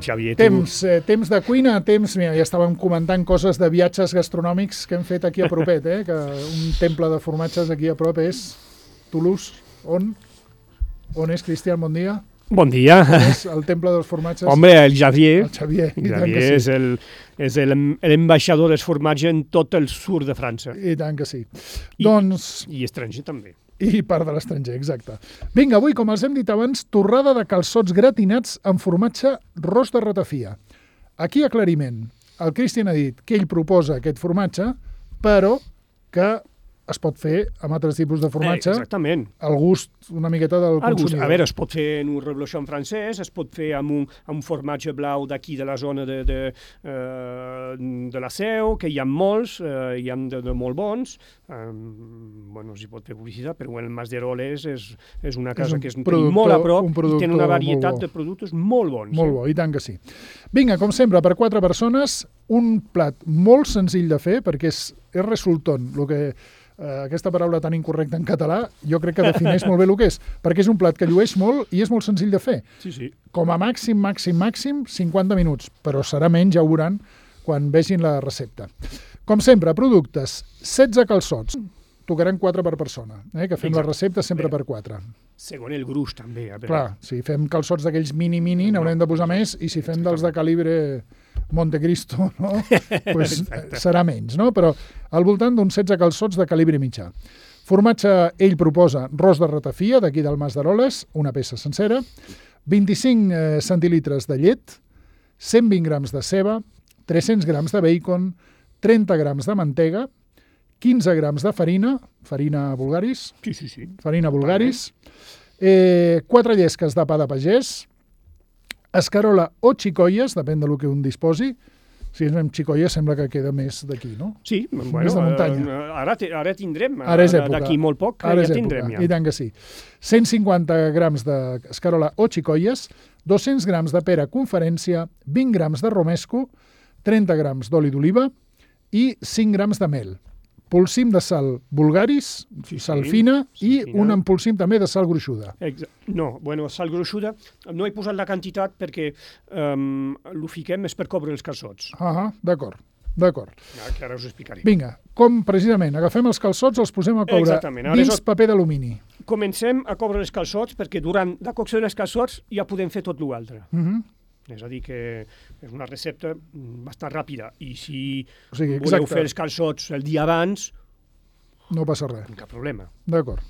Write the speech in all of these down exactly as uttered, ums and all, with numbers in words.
Xavier, tu... Temps, eh, temps de cuina, temps... Mira, ja estàvem comentant coses de viatges gastronòmics que hem fet aquí a propet, eh? Que un temple de formatges aquí a prop és Toulouse. On? On és, Cristian? Bon dia. Bon dia. On és el temple dels formatges? Home, el Xavier. El Xavier. El Xavier és el, és el, l'ambaixador dels formatges en tot el sud de França. I tant que sí. I, doncs... I estranger també. I part de l'estranger, exacte. Vinga, avui, com els hem dit abans, torrada de calçots gratinats amb formatge ros de ratafia. Aquí aclariment. El Cristian ha dit que ell proposa aquest formatge, però que es pot fer amb altres tipus de formatge. Eh, exactament. Al gust una miqueta del Al gust. consumidor. A veure, es pot fer en un reblochon francès, es pot fer amb un, amb un formatge blau d'aquí de la zona de, de, uh, de la Seu, que hi ha molts, uh, hi ha de, de molt bons. Um, bueno, no s'hi pot fer publicitat, però el Mas d'Eroles és, és una casa és un que és molt a prop i té una varietat de productes molt bons. Molt bo, i tant que sí. Vinga, com sempre, per quatre persones, un plat molt senzill de fer, perquè és, és resultón, el que... Uh, aquesta paraula tan incorrecta en català, jo crec que defineix molt bé el que és, perquè és un plat que llueix molt i és molt senzill de fer. Sí, sí. Com a màxim, màxim, màxim, cinquanta minuts, però serà menys, ja ho veuran quan vegin la recepta. Com sempre, productes, setze calçots, tocaran quatre per persona, eh? Que fem Exacte. La recepta sempre Bé. Per quatre. Segons el gruix, també. A veure. Clar, si fem calçots d'aquells mini-mini, n'haurem de posar més, i si fem dels de calibre Montecristo, no? pues serà menys, no? Però al voltant d'uns setze calçots de calibre mitjà. Formatge, ell proposa ros de ratafia, d'aquí del Mas d'Eroles, una peça sencera, vint-i-cinc eh, centilitres de llet, cent vint grams de ceba, tres-cents grams de bacon, trenta grams de mantega, quinze grams de farina, farina Bulgaris, sí, sí, sí. farina Bulgaris, eh, quatre llesques de pa de pagès, escarola o xicoies, depèn del que un disposi. Si és amb xicoies sembla que queda més d'aquí, no? Sí, bueno, més de muntanya. Uh, ara, te, ara tindrem, ara és època. D'aquí molt poc, ara ja és tindrem. Època. Ja. I tant que sí. cent cinquanta grams d'escarola o xicoies, dos-cents grams de pera conferència, vint grams de romesco, trenta grams d'oli d'oliva i cinc grams de mel. Polsim de sal Bulgaris, sí, sal sí, fina, sí, i fina. Un empolsim també de sal gruixuda. Exa no, bueno, sal gruixuda, no he posat la quantitat perquè um, l'ho fiquem és per cobre els calçots. Ah, d'acord, d'acord. Ja, que ara us explicaré. Vinga, com precisament, agafem els calçots, els posem a coure dins és... paper d'alumini. Comencem a coure els calçots perquè durant la cocció dels calçots ja podem fer tot l'altre. Uh -huh. És a dir, que és una recepta bastant ràpida i si o sigui, voleu fer els calçots el dia abans... No passa res. Cap problema. D'acord.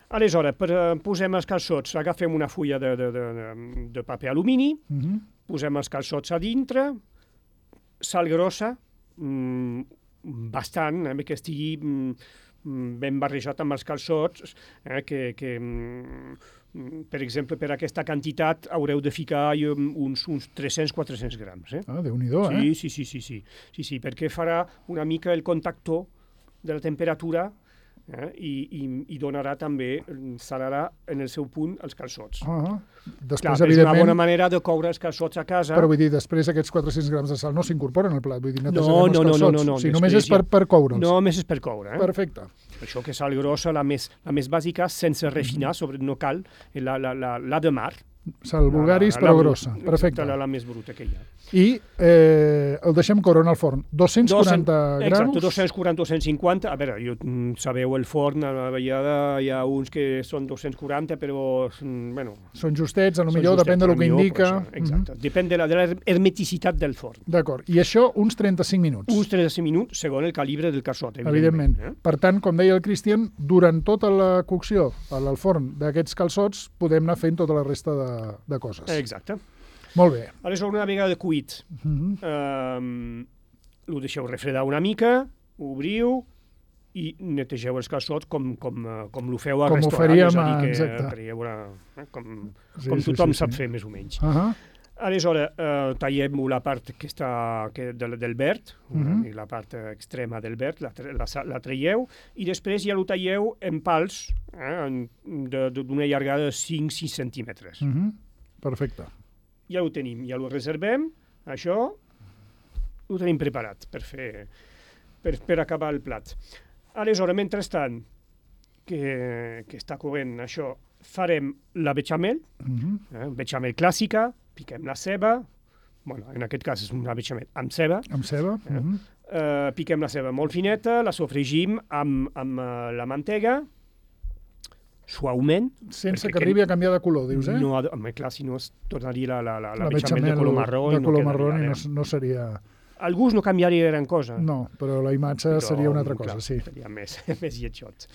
Aleshores, per, uh, posem els calçots, agafem una fulla de, de, de, de paper alumini, uh -huh. posem els calçots a dintre, sal grossa, mmm, bastant, eh, que estigui mm, ben barrejat amb els calçots, eh, que... que mm, per exemple, per aquesta quantitat haureu de ficar uns, uns tres-cents a quatre-cents grams. Eh? Ah, Déu-n'hi-do, eh? Sí, sí, sí, sí, sí, sí, sí, perquè farà una mica el contactor de la temperatura eh? I, i, i donarà també, salarà en el seu punt els calçots. Ah, després, Clar, és una bona manera de coure els calçots a casa. Però vull dir, després aquests quatre-cents grams de sal no s'incorporen al plat, vull dir, no, no, no, no, no, no, no. O sigui, només és per, per coure'ls. No, només és per coure. Eh? Perfecte. Per això que sal grossa, la més, la més bàsica, sense refinar, sobre, no cal, la, la, la, la de mar. Sal Bulgaris, la, la, però la, grossa. Perfecte. La, la més bruta que hi ha. I eh, el deixem coure en el forn. dos-cents quaranta grams? Exacte, dos-cents quaranta a dos-cents cinquanta. A veure, jo, sabeu el forn, a la vegada hi ha uns que són dos-cents quaranta, però, bueno... Són justets, potser depèn del que indica. Això, exacte, uh-huh. Depèn de la, de la hermeticitat del forn. D'acord, i això uns trenta-cinc minuts. Uns trenta-cinc minuts, segons el calibre del calçot, evidentment. evidentment. Eh? Per tant, com deia el Cristian, durant tota la cocció al forn d'aquests calçots podem anar fent tota la resta de, de coses. Exacte. Molt bé. Aleshores, una vegada cuit, uh-huh. um, ho deixeu refredar una mica, obriu i netegeu els calçots com, com, com ho feu al com restaurant. Com ho faríem, és a dir, que, exacte. Una, eh, com sí, com sí, tothom sí, sap sí. fer, més o menys. Uh-huh. Aleshores, uh, tallem la part que està, que, del, del verd, uh-huh. la part extrema del verd, la, la, la traieu, i després ja ho talleu en pals eh, d'una llargada de cinc a sis centímetres. Uh-huh. Perfecte. Ja ho tenim, ja ho reservem, això ho tenim preparat per fer, per, per acabar el plat. Aleshores, mentrestant, que, que està corrent això, farem la bechamel, uh-huh. eh, bechamel clàssica, piquem la ceba, bueno, en aquest cas és una bechamel amb ceba. Amb ceba. Eh? Uh -huh. Uh, piquem la ceba molt fineta, la sofregim amb, amb uh, la mantega, suaument. Sense que arribi a canviar de color, dius, eh? No, home, clar, si no es tornaria la, la, la, la, la bechamel de color marró. De i color no marró i quedaria, no, no seria... El gust no canviaria gran cosa. No, però la imatge però, seria una altra cosa, clar, sí. Seria més, més lletjot.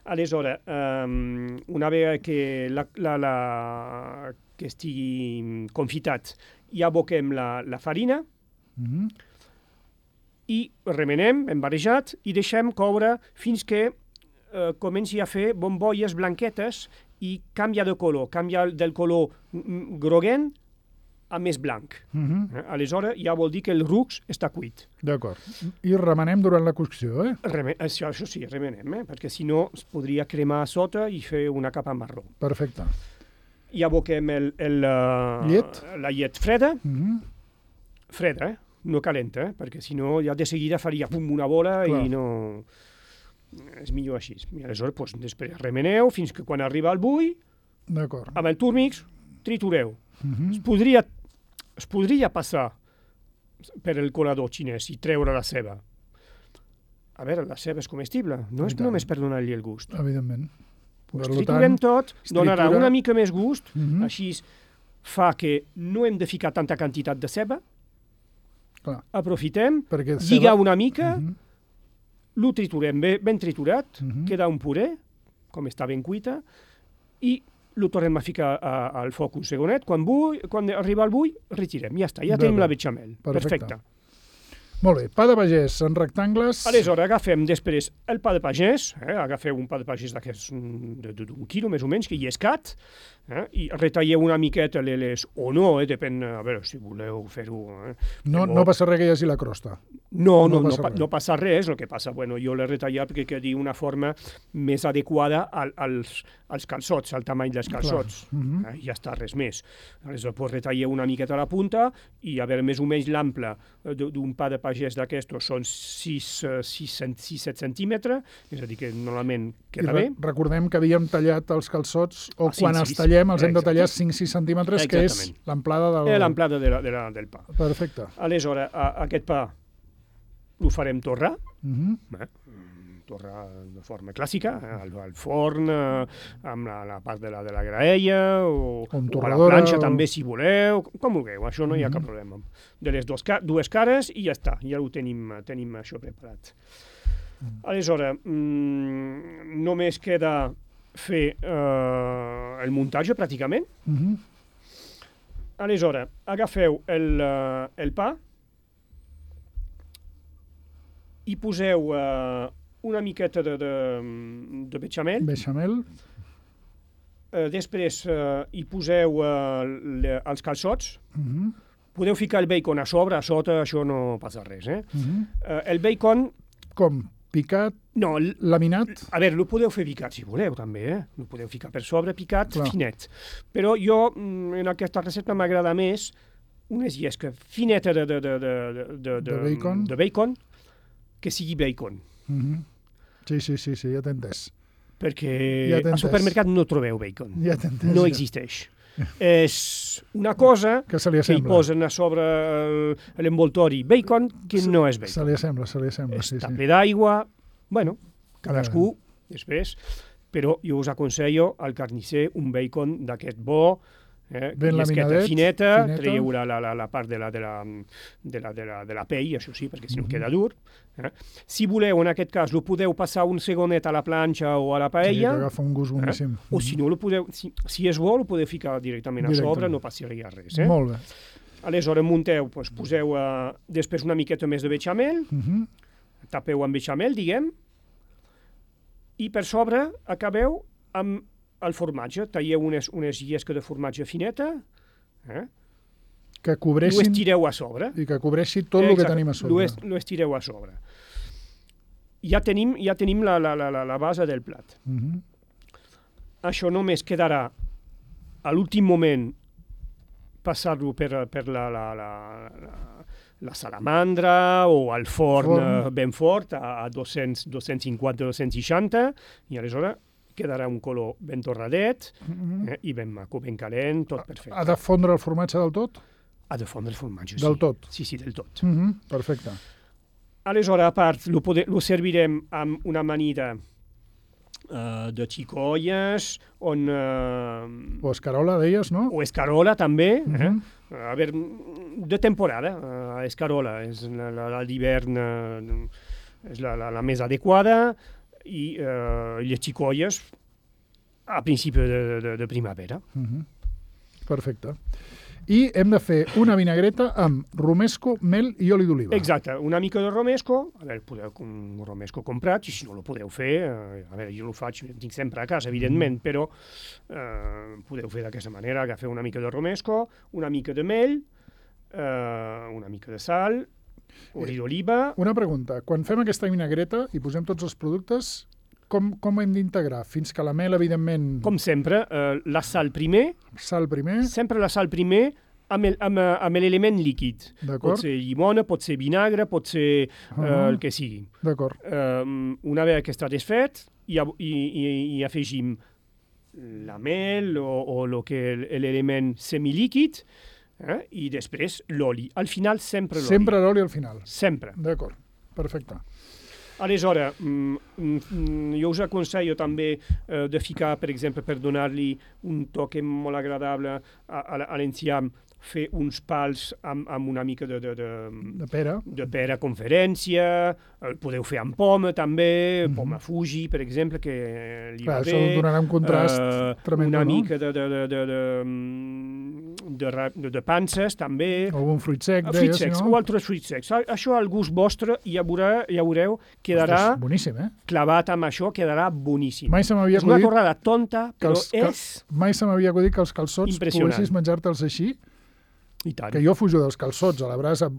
Aleshores, um, una vegada que, la, la, la, que estigui confitat, ja aboquem la, la farina, Mm -hmm. i remenem, hem barrejat, i deixem coure fins que eh, comenci a fer bombolles blanquetes i canvia de color, canvia del color groguent a més blanc. Mm -hmm. eh? Aleshores ja vol dir que el rucs està cuit. D'acord. I remenem durant la cocció, eh? Reme això, això sí, remenem, eh? perquè si no es podria cremar a sota i fer una capa marró. Perfecte. I aboquem el, el, uh, llet. la llet freda, Mm -hmm. freda, eh? No calenta, eh? perquè si no ja de seguida faria pum, una bola. Clar. I no... És millor així. I aleshores, doncs, després remeneu fins que quan arriba el bull, amb el túrmix, tritureu. Mm -hmm. es, podria, es podria passar per el colador xinès i treure la ceba. A veure, la ceba és comestible, no és només per donar-li el gust. Evidentment. Pues triturem tot, donarà una mica més gust, mm -hmm. així fa que no hem de ficar tanta quantitat de ceba. Clar. Aprofitem, perquè lliga una mica, uh -huh. lo triturem bé, ben triturat, uh uh-huh. -huh. queda un puré, com està ben cuita, i lo tornem a ficar a, al foc un segonet. Quan, bull, quan arriba el bull, retirem, ja està, ja tenim la bechamel. Perfecte. Perfecte. Molt bé, pa de pagès en rectangles... Aleshores, agafem després el pa de pagès, eh? agafeu un pa de pagès d'aquests d'un quilo més o menys, que hi és cat, eh? i retalleu una miqueta les... o no, eh? Depèn, a veure, si voleu fer-ho... Eh? No, no passa res que hi hagi la crosta. No, no, no, passa, no, res. no passa res, el que passa, bueno, jo l'he retallat perquè quedi una forma més adequada al, als, als calçots, al tamany dels calçots. Uh -huh. eh? Ja està, res més. Aleshores, pues, retalleu una miqueta a la punta i, a veure, més o menys l'ample d'un pa de pagès d'aquestos són sis set centímetres, és a dir, que normalment queda bé. Recordem que havíem tallat els calçots, o ah, quan sí, els sí, tallem els sí, hem de tallar cinc sis centímetres, que és l'amplada del... L'amplada de la, de la, del pa. Perfecte. Aleshores, a, aquest pa ho farem torrar, uh -huh. eh? torrar de forma clàssica, eh? al, al forn, eh, amb la, la part de la, de la graella, o, o a la planxa o... també, si voleu, com vulgueu, això no hi ha uh -huh. cap problema. De les dos, dues cares i ja està, ja ho tenim, tenim això preparat. Uh -huh. Aleshores, mmm, només queda fer eh, el muntatge, pràcticament. Uh -huh. Aleshores, agafeu el, uh, el pa, i poseu uh, una miqueta de, de, de bechamel. Bechamel. Uh, després uh, hi poseu uh, le, els calçots. Uh -huh. Podeu ficar el bacon a sobre, a sota, això no passa res. Eh? Uh -huh. uh, el bacon... Com? Picat? No, laminat? A veure, lo podeu fer picat, si voleu, també. Eh? Lo podeu ficar per sobre, picat, Clar. finet. Però jo, en aquesta recepta, m'agrada més unes llesques fineta de, de, de, de, de, de, de, bacon. de bacon que sigui bacon. Uh -huh. Sí, sí, sí, sí, ja t'he entès. Perquè ja al supermercat no trobeu bacon. Ja t'he entès. No ja. existeix. És una cosa que, se li que hi posen a sobre l'envoltori bacon, que se, no és bacon. Se li assembla, se li assembla, Està sí, sí. ple d'aigua, bueno, cadascú, ja. després, però jo us aconsello al carnisser un bacon d'aquest bo, eh, ben laminadet, fineta, fineta. traieu la, la, la part de la, de, la, de, la, de, la, de la pell, això sí, perquè si no uh -huh. queda dur. Eh? Si voleu, en aquest cas, lo podeu passar un segonet a la planxa o a la paella. Sí, que agafa un gust boníssim. Eh? O si no, lo podeu, si, si és bo, lo podeu ficar directament, directament a sobre, no passaria res. Eh? Molt bé. Aleshores, munteu, doncs, poseu uh, després una miqueta més de bechamel, uh -huh. tapeu amb bechamel, diguem, i per sobre acabeu amb el formatge. Talleu unes, unes llesques de formatge fineta, eh? que cobreixin... Ho estireu a sobre. I que cobreixi tot el que tenim a sobre. Lo estireu a sobre. Ja tenim, ja tenim la, la, la, la base del plat. Uh -huh. Això només quedarà a l'últim moment passar-lo per, per la, la, la, la, la salamandra o al forn, forn. ben fort, a, a dos-cents, dos-cents cinquanta, dos-cents seixanta, i aleshores quedarà un color ben torradet, uh -huh. eh, i ben maco, ben calent, tot perfecte. Ha de fondre el formatge del tot? Ha de fondre el formatge, sí. Del tot? Sí, sí, del tot. Mm -hmm. Perfecte. Aleshores, a part, lo, pode, lo servirem amb una amanida uh, de xicolles, on... Uh, o escarola, deies, no? O escarola, també. Mm -hmm. eh? A veure, de temporada. Uh, escarola és la, la, la d'hivern, uh, és la, la, la més adequada, i uh, les xicolles a principi de, de, de primavera. Mm -hmm. Perfecte. I hem de fer una vinagreta amb romesco, mel i oli d'oliva. Exacte, una mica de romesco, a veure, podeu un romesco comprat, i si no lo podeu fer, eh, a veure, jo lo faig, el tinc sempre a casa, evidentment, mm. però eh, podeu fer d'aquesta manera, agafeu una mica de romesco, una mica de mel, eh, una mica de sal, oli d'oliva... Una pregunta, quan fem aquesta vinagreta i posem tots els productes, com, com hem d'integrar? Fins que la mel, evidentment... Com sempre, eh, la sal primer... Sal primer. Sempre la sal primer amb, el, amb, amb l'element líquid. Pot ser llimona, pot ser vinagre, pot ser uh -huh. eh, el que sigui. D'acord. Eh, una vegada que està desfet, i, i, i, i afegim la mel o, o lo que l'element semilíquid, eh, i després l'oli. Al final, sempre l'oli. Sempre l'oli al final. Sempre. D'acord, perfecte. Aleshores, mm, mm, jo us aconsello també eh, de ficar, per exemple, per donar-li un toque molt agradable a, a, a l'enciam, fer uns pals amb, amb una mica de, de, de, de pera, de pera conferència, el podeu fer amb poma també, mm -hmm. poma Fuji, per exemple, que li Clar, va bé. Això donarà un contrast uh, tremendo, una no? mica de, de, de, de, de, de, de, de panses, també. O un fruit sec, uh, deies, fruit secs, no? o altres fruits secs. Això al gust vostre, ja, veurà, ja veureu, quedarà... Ostres, boníssim, eh? Clavat amb això, quedarà boníssim. Mai se m'havia és una acudit... torrada tonta, però els, és... Mai se m'havia acudit que els calçots poguessis menjar-te'ls així. I tant. Que jo fujo dels calçots a la brasa,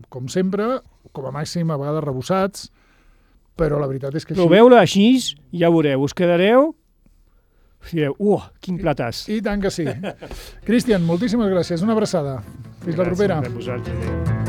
com sempre, com a màxim a vegades rebussats, però la veritat és que així... Proveu-la així, ja veureu, us quedareu... Direu, uh, quin platàs. I, i tant que sí. Cristian, moltíssimes gràcies, una abraçada. Fins gràcies la propera. Gràcies a vosaltres.